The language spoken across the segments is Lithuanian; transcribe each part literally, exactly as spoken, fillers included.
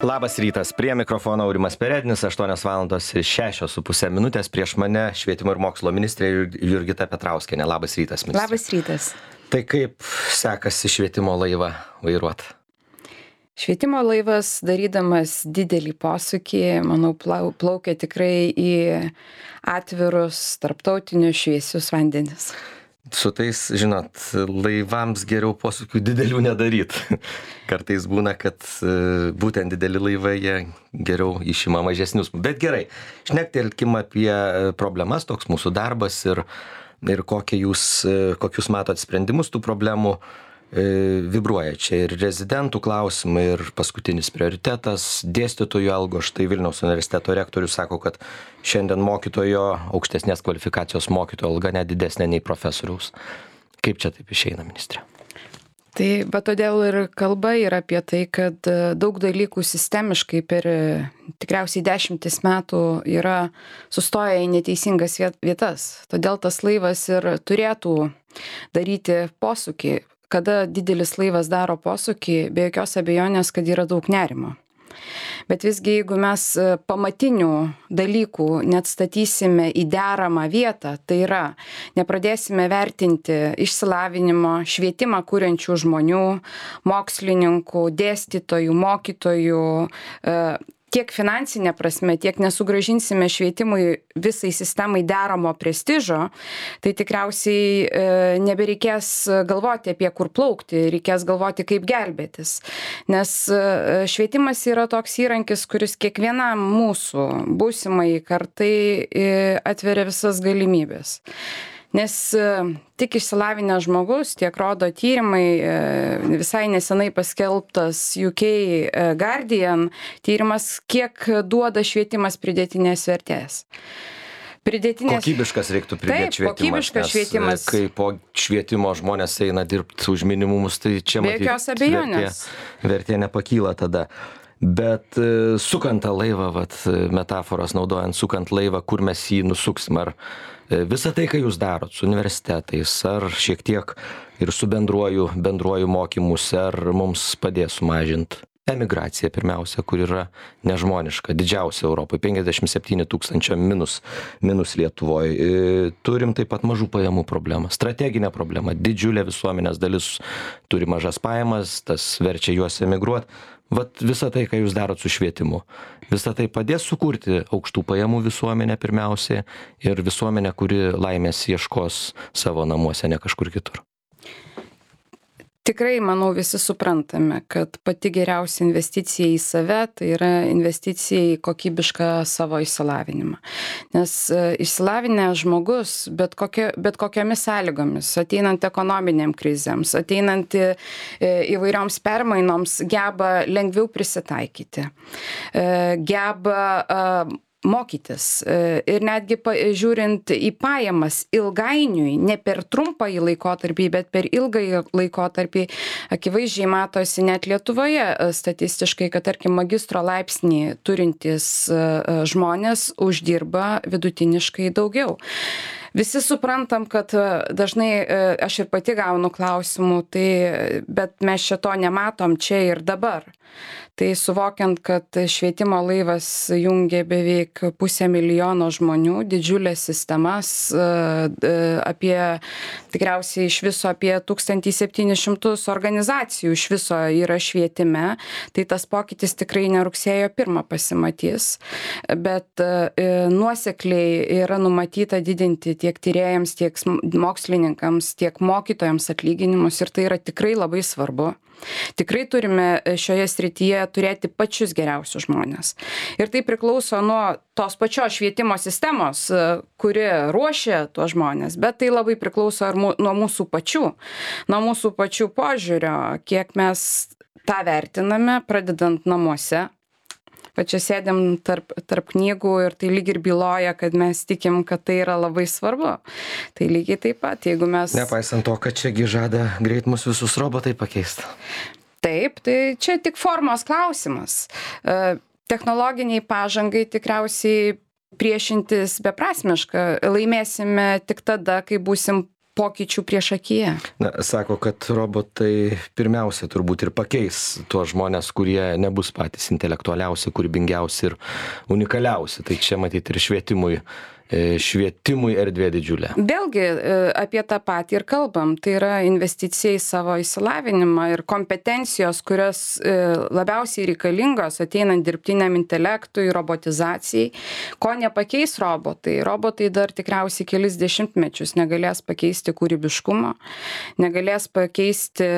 Labas rytas, prie mikrofono Aurimas Perednis, aštuonios valandos ir šešios su pusė minutės, prieš mane švietimo ir mokslo ministrė Jurgita Petrauskienė. Labas rytas, ministrė. Labas rytas. Tai kaip sekasi švietimo laivą vairuoti? Švietimo laivas, darydamas didelį posūkį, manau, plaukia tikrai į atvirus, tarptautinius šviesius vandenis. Su tais, žinot, laivams geriau posūkių didelių nedaryt. Kartais būna, kad būtent dideli laivai jie geriau išima mažesnius. Bet gerai, šnektelkim apie problemas, toks mūsų darbas ir, ir kokie jūs, kokius matot sprendimus tų problemų. Vibruoja čia ir rezidentų klausimai, ir paskutinis prioritetas dėstytojų algos. Štai Vilniaus universiteto rektorius sako, kad šiandien mokytojo, aukštesnės kvalifikacijos mokytojo alga net didesnė nei profesoriaus. Kaip čia taip išeina, ministrė? Tai, bet todėl ir kalba yra apie tai, kad daug dalykų sistemiškai per tikriausiai dešimtis metų yra sustoję į neteisingas vietas. Todėl tas laivas ir turėtų daryti posūkį. Kada didelis laivas daro posūkį, be jokios abejonės, kad yra daug nerimo. Bet visgi, jeigu mes pamatinių dalykų neatstatysime į deramą vietą, tai yra, nepradėsime vertinti išsilavinimo, švietimą kuriančių žmonių, mokslininkų, dėstytojų, mokytojų, tiek finansinė prasme, tiek nesugrąžinsime švietimui visai sistemai deramo prestižo, tai tikriausiai e, nebereikės galvoti apie kur plaukti, reikės galvoti kaip gelbėtis. Nes e, švietimas yra toks įrankis, kuris kiekvienam mūsų būsimai kartai e, atveria visas galimybės. Nes tik išsilavinęs žmogus, tiek rodo tyrimai, visai nesenai paskelbtas U K Guardian tyrimas, kiek duoda švietimas pridėtinės vertės. Pridėtinės... Kokybiškas reiktų pridėti Taip, švietimas. Kokybiškas švietimas. Kai po švietimo žmonės eina dirbti už minimumus, tai čia matyti vertė, vertė nepakyla tada. Bet sukant tą laivą, vat, metaforas naudojant, sukant laivą, kur mes jį nusuksim, ar visą tai, ką jūs darot su universitetais, ar šiek tiek ir su bendruoju, bendruoju mokymus, ar mums padės sumažinti emigraciją pirmiausia, kur yra nežmoniška, didžiausia Europoje, penkiasdešimt septyni tūkstančio minus, minus Lietuvoje. Turim taip pat mažų pajamų problemą, strateginę problemą, didžiulė visuomenės dalis turi mažas pajamas, tas verčia juos emigruoti. Vat visą tai, ką jūs darot su švietimu, visą tai padės sukurti aukštų pajamų visuomenę pirmiausiai ir visuomenę, kuri laimės ieškos savo namuose, ne kažkur kitur. Tikrai, manau, visi suprantame, kad pati geriausia investicija į save, tai yra investicija į kokybišką savo išsilavinimą. Nes išsilavinęs žmogus, bet, kokia, bet kokiamis sąlygomis, ateinant ekonominiam krizėms, ateinant įvairioms permainoms, geba lengviau prisitaikyti, geba mokytis ir netgi žiūrint į pajamas ilgainiui, ne per trumpąjį laikotarpį, bet per ilgąjį laikotarpį, akivaizdžiai matosi net Lietuvoje statistiškai, kad tarkim magistro laipsnį turintys žmonės uždirba vidutiniškai daugiau. Visi suprantam, kad dažnai aš ir pati gaunu klausimų, tai, bet mes šito nematom čia ir dabar. Tai suvokiant, kad švietimo laivas jungia beveik pusę milijono žmonių, didžiulės sistemas, apie tikriausiai iš viso apie tūkstantį septynis šimtus organizacijų iš viso yra švietime, tai tas pokytis tikrai ne rugsėjo pirmą pasimatys, bet nuosekliai yra numatyta didinti tiek tyrėjams, tiek mokslininkams, tiek mokytojams atlyginimus ir tai yra tikrai labai svarbu. Tikrai turime šioje srityje turėti pačius geriausius žmonės. Ir tai priklauso nuo tos pačios švietimo sistemos, kuri ruošia tuos žmonės, bet tai labai priklauso ir nuo mūsų pačių, nuo mūsų pačių požiūrio, kiek mes tą vertiname, pradedant namuose. Va čia sėdėm tarp, tarp knygų ir tai lyg ir byloja, kad mes tikim, kad tai yra labai svarbu. Tai lygiai taip pat, jeigu mes... Nepaisant to, kad čiagi žada greit mus visus robotai pakeisti. Taip, tai čia tik formos klausimas. Technologiniai pažangai tikriausiai priešintis beprasmiška. Laimėsime tik tada, kai būsim pokyčių priešakyje. Na, sako, kad robotai pirmiausia turbūt ir pakeis tuos žmonės, kurie nebus patys intelektualiausi, kūrybingiausi ir unikaliausi. Tai čia matyti ir švietimui. švietimui erdvė didžiulė. Vėlgi apie tą patį ir kalbam. Tai yra investicija į savo išsilavinimą ir kompetencijos, kurios labiausiai reikalingos ateinant dirbtiniam intelektui, robotizacijai. Ko nepakeis robotai? Robotai dar tikriausiai kelis dešimtmečius negalės pakeisti kūrybiškumo, negalės pakeisti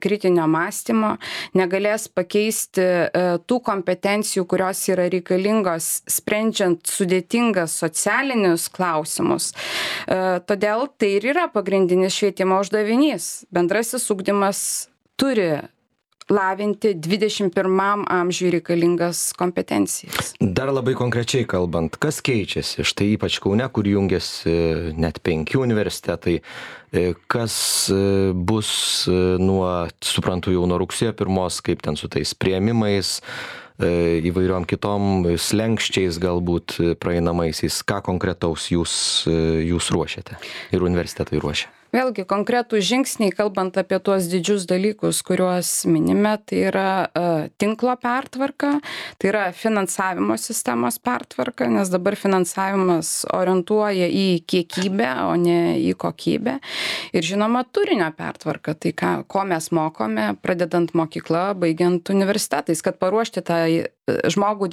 kritinio mąstymo, negalės pakeisti tų kompetencijų, kurios yra reikalingos sprendžiant sudėtingas socialines klausimus. Todėl tai ir yra pagrindinis švietimo uždavinys. Bendrasis ugdymas turi lavinti dvidešimt pirmam amžiui reikalingas kompetencijas. Dar labai konkrečiai kalbant, kas keičiasi? Štai ypač Kaune, kur jungiasi net penki universitetai. Kas bus nuo, suprantu, jau nuo rugsėjo pirmos, kaip ten su tais priėmimais, įvairiom kitom slenkščiais galbūt praeinamaisiais, ką konkretaus jūs, jūs ruošiate ir universitetai ruošia? Vėlgi, konkretų žingsniai, kalbant apie tuos didžius dalykus, kuriuos minime, tai yra uh, tinklo pertvarka, tai yra finansavimo sistemos pertvarka, nes dabar finansavimas orientuoja į kiekybę, o ne į kokybę. Ir žinoma, turinio pertvarka, tai ką, ko mes mokome, pradedant mokyklą, baigiant universitetais, kad paruošti tą žmogų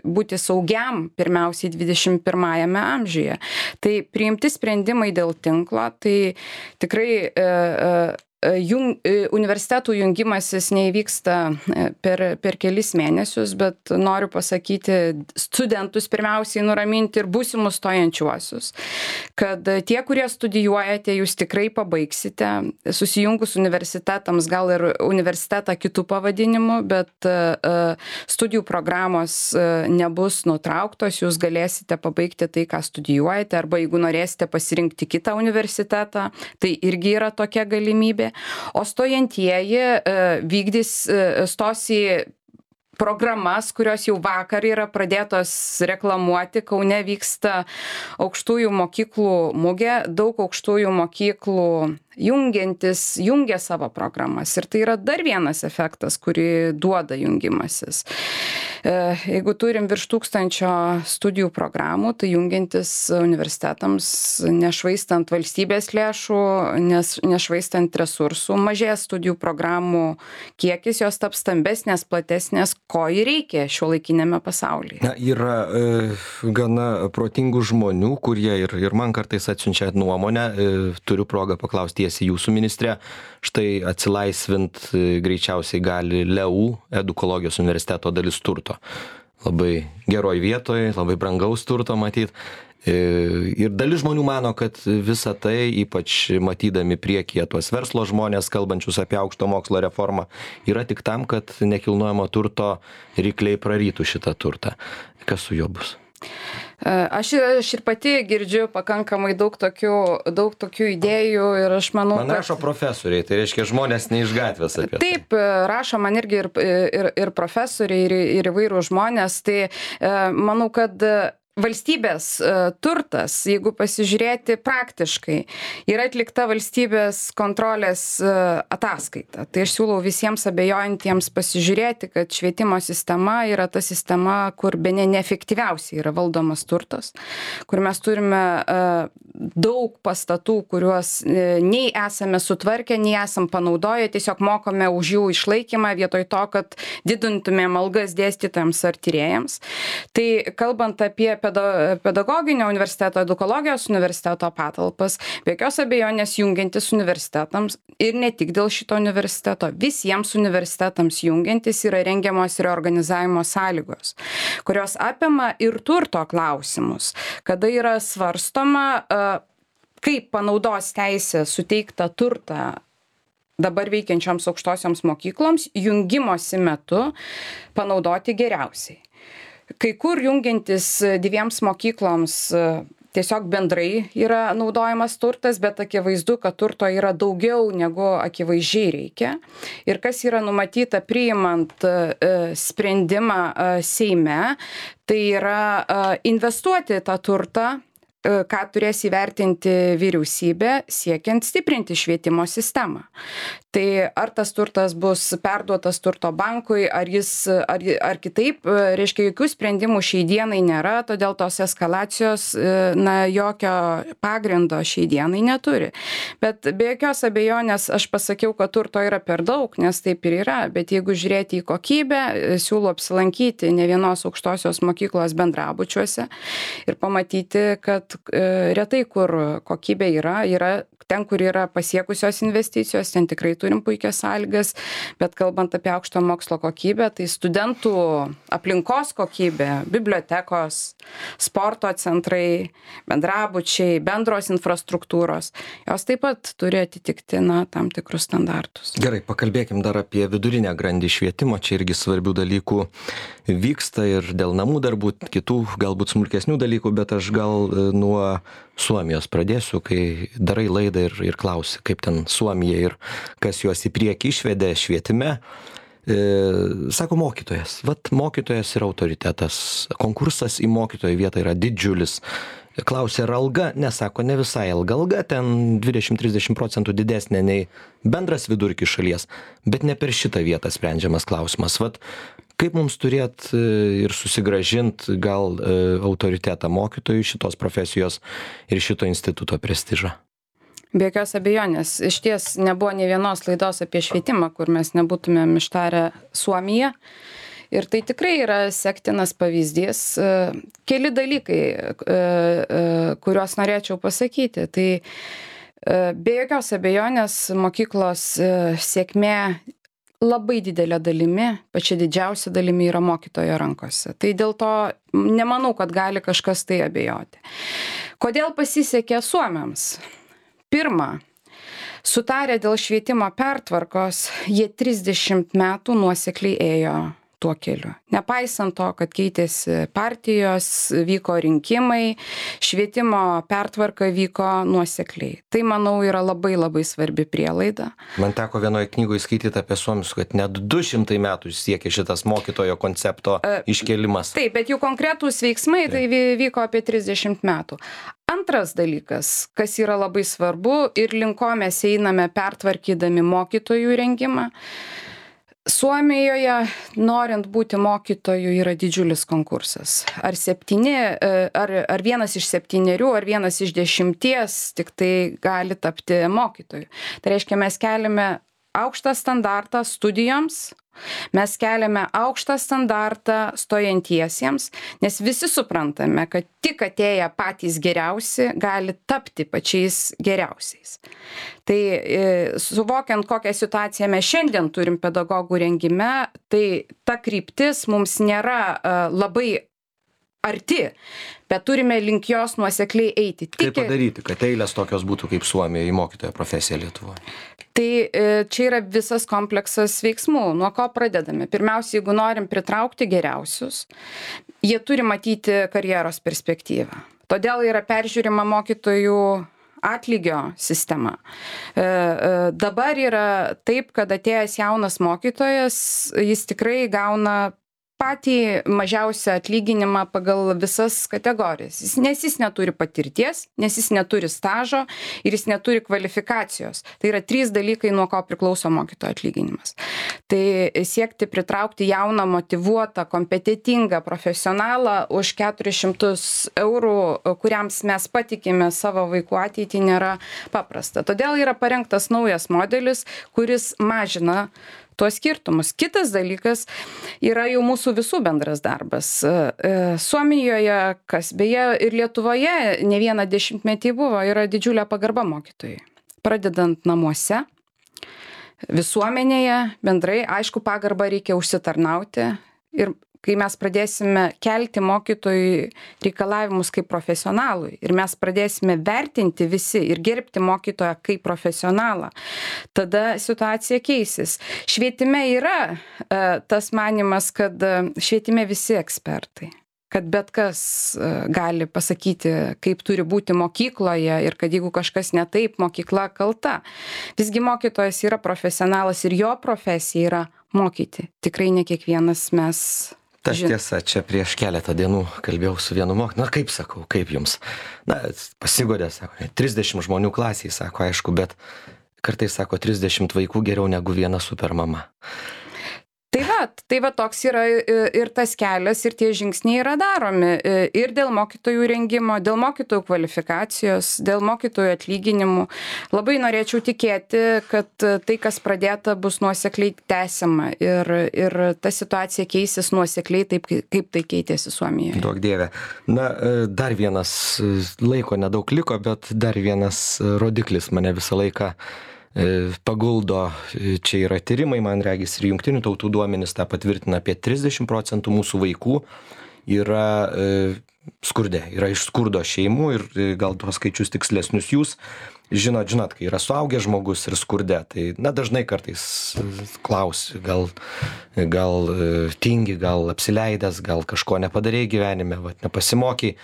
būti saugiam pirmiausiai dvidešimt pirmajame amžiuje. Tai priimti sprendimai dėl tinklo, tai tikrai jung, universitetų jungimasis neįvyksta per, per kelis mėnesius, bet noriu pasakyti studentus pirmiausiai nuraminti ir būsimus stojančiuosius, kad tie, kurie studijuojate, jūs tikrai pabaigsite, susijungus universitetams, gal ir universitetą kitų pavadinimų, bet studijų programos nebus nutrauktos, jūs galėsite pabaigti tai, ką studijuojate, arba jeigu norėsite pasirinkti kitą universitetą, tai irgi yra tokia galimybė. O stojantieji vykdys, stos į programas, kurios jau vakar yra pradėtos reklamuoti. Kaune vyksta aukštųjų mokyklų mugė, daug aukštųjų mokyklų jungiantis, jungia savo programas. Ir tai yra dar vienas efektas, kurį duoda jungimasis. Jeigu turim virš tūkstančio studijų programų, tai jungiantis universitetams, nešvaistant valstybės lėšų, nes, nešvaistant resursų, mažės studijų programų kiekis, jos taps stambesnės, platesnės, ko ir reikia šiuolaikinėme pasaulyje. Na, yra e, gana protingų žmonių, kurie ir, ir man kartais atsiunčia nuomonę, e, turiu progą paklausti tiesiai jūsų ministrė, štai atsilaisvint e, greičiausiai gali L E U, Edukologijos universiteto dalis turto. Labai geroj vietoj, labai brangaus turto matyt. Ir dalis žmonių mano, kad visa tai, ypač matydami priekyje tuos verslo žmonės, kalbančius apie aukšto mokslo reformą, yra tik tam, kad nekilnojamo turto rykliai prarytų šitą turtą. Kas su juo bus? Aš, aš ir pati girdžiu pakankamai daug tokių, daug tokių idėjų ir aš manau, man rašo kad... profesoriai, tai reiškia žmonės ne iš gatvės apie tai. Taip, rašo man irgi ir, ir, ir profesoriai, ir, ir įvairūs žmonės, tai manau, kad valstybės turtas, jeigu pasižiūrėti praktiškai, yra atlikta valstybės kontrolės ataskaita. Tai aš siūlau visiems abejojantiems pasižiūrėti, kad švietimo sistema yra ta sistema, kur bene neefektyviausiai yra valdomas turtas, kur mes turime daug pastatų, kuriuos nei esame sutvarkę, nei esam panaudoję, tiesiog mokame už jų išlaikymą vietoj to, kad didintumėm algas dėstytojams ar tyrėjams. Tai kalbant apie pedagoginio universiteto, edukologijos universiteto patalpas, be jokios abejonės jungiantis universitetams ir ne tik dėl šito universiteto, visiems universitetams jungiantis yra rengiamos reorganizavimo sąlygos, kurios apima ir turto klausimus, kada yra svarstoma, kaip panaudos teisė suteiktą turtą dabar veikiančioms aukštosioms mokykloms jungimosi metu panaudoti geriausiai. Kai kur jungiantis dviems mokykloms tiesiog bendrai yra naudojamas turtas, bet akivaizdu, kad turto yra daugiau negu akivaizdžiai reikia. Ir kas yra numatyta priimant sprendimą Seime, tai yra investuoti tą turtą ką turės įvertinti vyriausybė siekiant stiprinti švietimo sistemą. Tai ar tas turtas bus perduotas turto bankui, ar jis, ar, ar kitaip, reiškia, jokių sprendimų šiai dienai nėra, todėl tos eskalacijos, na, jokio pagrindo šiai dienai neturi. Bet be jokios abejonės aš pasakiau, kad turto yra per daug, nes taip ir yra, bet jeigu žiūrėti į kokybę, siūlau apsilankyti ne vienos aukštosios mokyklos bendrabučiuose ir pamatyti, kad retai kur kokybė yra, yra ten, kur yra pasiekusios investicijos, ten tikrai turim puikias sąlygas, bet kalbant apie aukšto mokslo kokybę, tai studentų aplinkos kokybė, bibliotekos, sporto centrai, bendrabučiai, bendros infrastruktūros, jos taip pat turi atitikti, na, tam tikrus standartus. Gerai, pakalbėkim dar apie vidurinę grandį švietimo, čia irgi svarbių dalykų vyksta ir dėl namų darbų, kitų galbūt smulkesnių dalykų, bet aš gal nuo Suomijos pradėsiu, kai darai laidą ir, ir klausi, kaip ten Suomija ir kas juos į priekį išvedė švietime. E, sako mokytojas, vat mokytojas yra autoritetas, konkursas į mokytojo vietą yra didžiulis. Klausė, ar alga, nesako, ne visai alga, alga ten dvidešimt trisdešimt procentų didesnė nei bendras vidurkis šalies, bet ne per šitą vietą sprendžiamas klausimas. Vat kaip mums turėt ir susigrąžint gal autoritetą mokytojų šitos profesijos ir šito instituto prestižą? Be jokios abejonės. Iš ties nebuvo nei vienos laidos apie švietimą, kur mes nebūtumėm ištarę Suomiją. Ir tai tikrai yra sektinas pavyzdys. Keli dalykai, kuriuos norėčiau pasakyti. Tai be jokios abejonės mokyklos sėkmė labai didelė dalimi, pačia didžiausia dalimi yra mokytojo rankose. Tai dėl to nemanau, kad gali kažkas tai abejoti. Kodėl pasisekė suomiams? Pirma, sutarę dėl švietimo pertvarkos, jie trisdešimt metų nuosekliai ėjo tuo keliu. Nepaisant to, kad keitėsi partijos, vyko rinkimai, švietimo pertvarka vyko nuosekliai. Tai, manau, yra labai labai svarbi prielaida. Man teko vienoje knygoje skaityti apie suomius, kad net du šimtai metų siekė šitas mokytojo koncepto iškėlimas. Taip, bet jų konkretūs veiksmai tai vyko apie trisdešimt metų. Antras dalykas, kas yra labai svarbu ir link ko mes einame pertvarkydami mokytojų rengimą. Suomijoje, norint būti mokytoju, yra didžiulis konkursas. Ar septyni, ar, ar vienas iš septynerių, ar vienas iš dešimties tik tai gali tapti mokytoju. Tai reiškia, mes keliame aukštą standartą studijoms, mes keliame aukštą standartą stojantiesiems, nes visi suprantame, kad tik atėję patys geriausi gali tapti pačiais geriausiais. Tai suvokiant, kokią situaciją mes šiandien turim pedagogų rengime, tai ta kryptis mums nėra labai arti, bet turime link jos nuosekliai eiti. Kaip padaryti, kad eilės tokios būtų kaip Suomijoje į mokytojo profesiją Lietuvoje? Tai čia yra visas kompleksas veiksmų. Nuo ko pradedame? Pirmiausia, jeigu norim pritraukti geriausius, jie turi matyti karjeros perspektyvą. Todėl yra peržiūrima mokytojų atlygio sistema. Dabar yra taip, kad atėjęs jaunas mokytojas, jis tikrai gauna patį mažiausią atlyginimą pagal visas kategorijas. Nes jis neturi patirties, nes jis neturi stažo ir jis neturi kvalifikacijos. Tai yra trys dalykai, nuo ko priklauso mokytojo atlyginimas. Tai siekti pritraukti jauną, motyvuotą, kompetitingą profesionalą už keturis šimtus eurų, kuriams mes patikime savo vaikų ateitį, nėra paprasta. Todėl yra parengtas naujas modelis, kuris mažina tuos skirtumus. Kitas dalykas yra jau mūsų visų bendras darbas. Suomijoje, kas beje ir Lietuvoje ne vieną dešimtmetį buvo, yra didžiulė pagarba mokytojai. Pradedant namuose, visuomenėje, bendrai, aišku, pagarbą reikia užsitarnauti ir kai mes pradėsime kelti mokytojui reikalavimus kaip profesionalui ir mes pradėsime vertinti visi ir gerbti mokytoją kaip profesionalą, tada situacija keisis. Švietime yra e, tas manimas, kad švietime visi ekspertai, kad bet kas e, gali pasakyti, kaip turi būti mokykloje ir kad jeigu kažkas ne taip, mokykla kalta. Visgi mokytojas yra profesionalas ir jo profesija yra mokyti. Tikrai ne kiekvienas mes Tas tiesa, čia prieš keletą dienų kalbėjau su vienu mokytoju, na kaip sakau, kaip jums? Na, pasigodė, sako, trisdešimt žmonių klasiai, sako, aišku, bet kartais sako, trisdešimt vaikų geriau negu viena supermama. Tai va, tai va toks yra ir tas kelias, ir tie žingsniai yra daromi ir dėl mokytojų rengimo, dėl mokytojų kvalifikacijos, dėl mokytojų atlyginimų. Labai norėčiau tikėti, kad tai, kas pradėta, bus nuosekliai tęsiama ir, ir ta situacija keisis nuosekliai taip, kaip tai keitėsi Suomijoje. Duok Dieve. Na, dar vienas, laiko nedaug liko, bet dar vienas rodiklis mane visą laiką paguldo. Čia yra tyrimai, man regis, ir jungtinių tautų duomenys tą patvirtina, apie trisdešimt procentų mūsų vaikų yra skurde, yra iš skurdo šeimų ir gal tuos skaičius tikslesnius jūs žinot, žinot, kai yra suaugęs žmogus ir skurde, tai na dažnai kartais klausi, gal, gal tingi, gal apsileidęs, gal kažko nepadarei gyvenime, vat, nepasimokiai,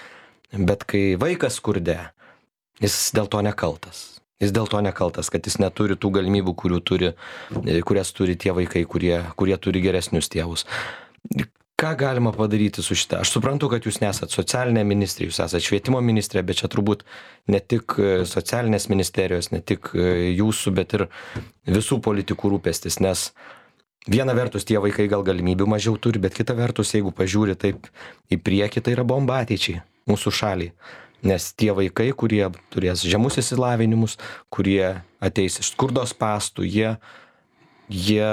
bet kai vaikas skurde, jis dėl to nekaltas. Jis dėl to nekaltas, kad jis neturi tų galimybių, kurių turi, kurias turi tie vaikai, kurie, kurie turi geresnius tėvus. Ką galima padaryti su šitą? Aš suprantu, kad jūs nesat socialinė ministrė, jūs esat švietimo ministrė, bet čia turbūt ne tik socialinės ministerijos, ne tik jūsų, bet ir visų politikų rūpestis, nes viena vertus tie vaikai gal galimybių mažiau turi, bet kita vertus, jeigu pažiūri taip į priekį, tai yra bomba ateičiai mūsų šaliai. Nes tie vaikai, kurie turės žemus įsilavinimus, kurie ateis iš skurdos spąstų, jie, jie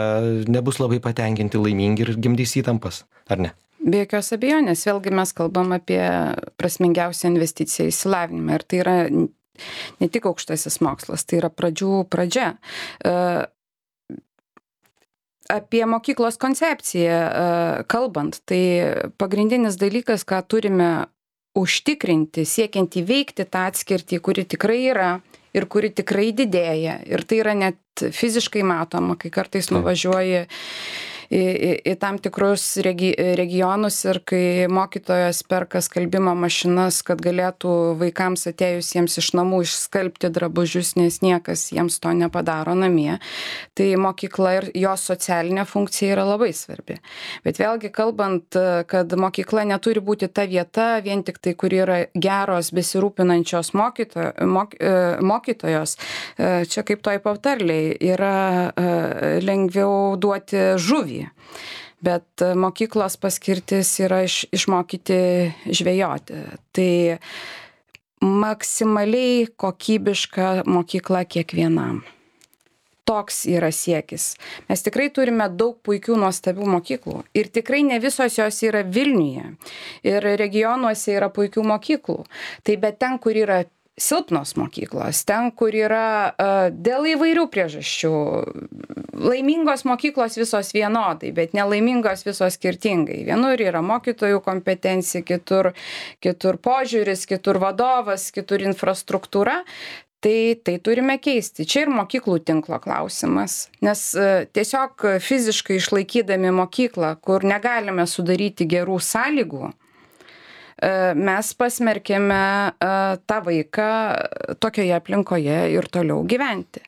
nebus labai patenkinti, laimingi ir gimdys įtampas, ar ne? Be jokios abejonės, vėlgi mes kalbam apie prasmingiausią investiciją į įsilavinimą ir tai yra ne tik aukštasis mokslas, tai yra pradžių pradžia. Apie mokyklos koncepciją kalbant, tai pagrindinis dalykas, ką turime užtikrinti, siekiant įveikti tą atskirtį, kuri tikrai yra ir kuri tikrai didėja. Ir tai yra net fiziškai matoma, kai kartais nuvažiuoji į, į, į tam tikrus regi, regionus ir kai mokytojas perka skalbimo mašinas, kad galėtų vaikams atėjusiems iš namų išskalbti drabužius, nes niekas jiems to nepadaro namie. Tai mokykla ir jos socialinė funkcija yra labai svarbi. Bet vėlgi kalbant, kad mokykla neturi būti ta vieta, vien tik tai, kur yra geros, besirūpinančios mokyto, mok, mokytojos, čia kaip toj patarliai, yra lengviau duoti žuvį. Bet mokyklos paskirtis yra iš, išmokyti žvejoti. Tai maksimaliai kokybiška mokykla kiekvienam. Toks yra siekis. Mes tikrai turime daug puikių nuostabių mokyklų ir tikrai ne visos jos yra Vilniuje ir regionuose yra puikių mokyklų. Tai bet ten, kur yra silpnos mokyklos, ten, kur yra uh, dėl įvairių priežasčių. Laimingos mokyklos visos vienodai, bet nelaimingos visos skirtingai. Vienur yra mokytojų kompetencija, kitur, kitur požiūris, kitur vadovas, kitur infrastruktūra. Tai, tai turime keisti. Čia ir mokyklų tinklo klausimas, nes uh, tiesiog fiziškai išlaikydami mokyklą, kur negalime sudaryti gerų sąlygų, mes pasmerkėme tą vaiką tokioje aplinkoje ir toliau gyventi.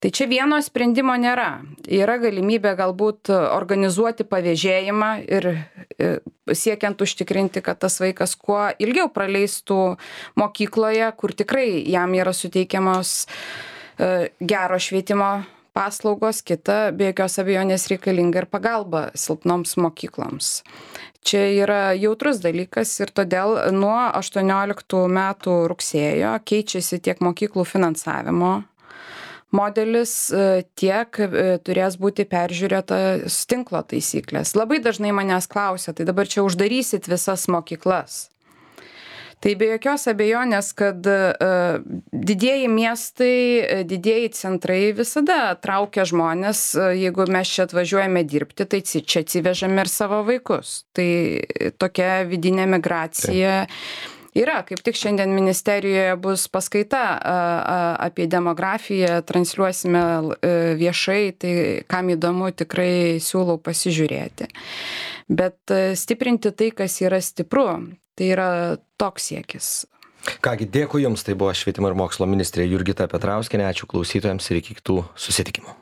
Tai čia vieno sprendimo nėra. Yra galimybė galbūt organizuoti pavėžėjimą ir siekiant užtikrinti, kad tas vaikas kuo ilgiau praleistų mokykloje, kur tikrai jam yra suteikiamos gero švietimo paslaugos, kita be jokios abejonės reikalinga ir pagalba silpnoms mokykloms. Čia yra jautrus dalykas ir todėl nuo aštuonioliktų metų rugsėjo keičiasi tiek mokyklų finansavimo modelis, tiek turės būti peržiūrėtas tinklo taisyklės. Labai dažnai manęs klausia, tai dabar čia uždarysit visas mokyklas. Tai be jokios abejonės, kad uh, didieji miestai, didieji centrai visada traukia žmonės, uh, jeigu mes čia atvažiuojame dirbti, tai čia atsivežame ir savo vaikus. Tai tokia vidinė migracija yra. Kaip tik šiandien ministerijoje bus paskaita uh, apie demografiją, transliuosime uh, viešai, tai kam įdomu, tikrai siūlau pasižiūrėti. Bet uh, stiprinti tai, kas yra stipru. Tai yra toks siekis. Kągi, dėkui Jums, tai buvo švietimo ir mokslo ministrė Jurgita Petrauskienė, ačiū klausytojams ir iki kitų susitikimų.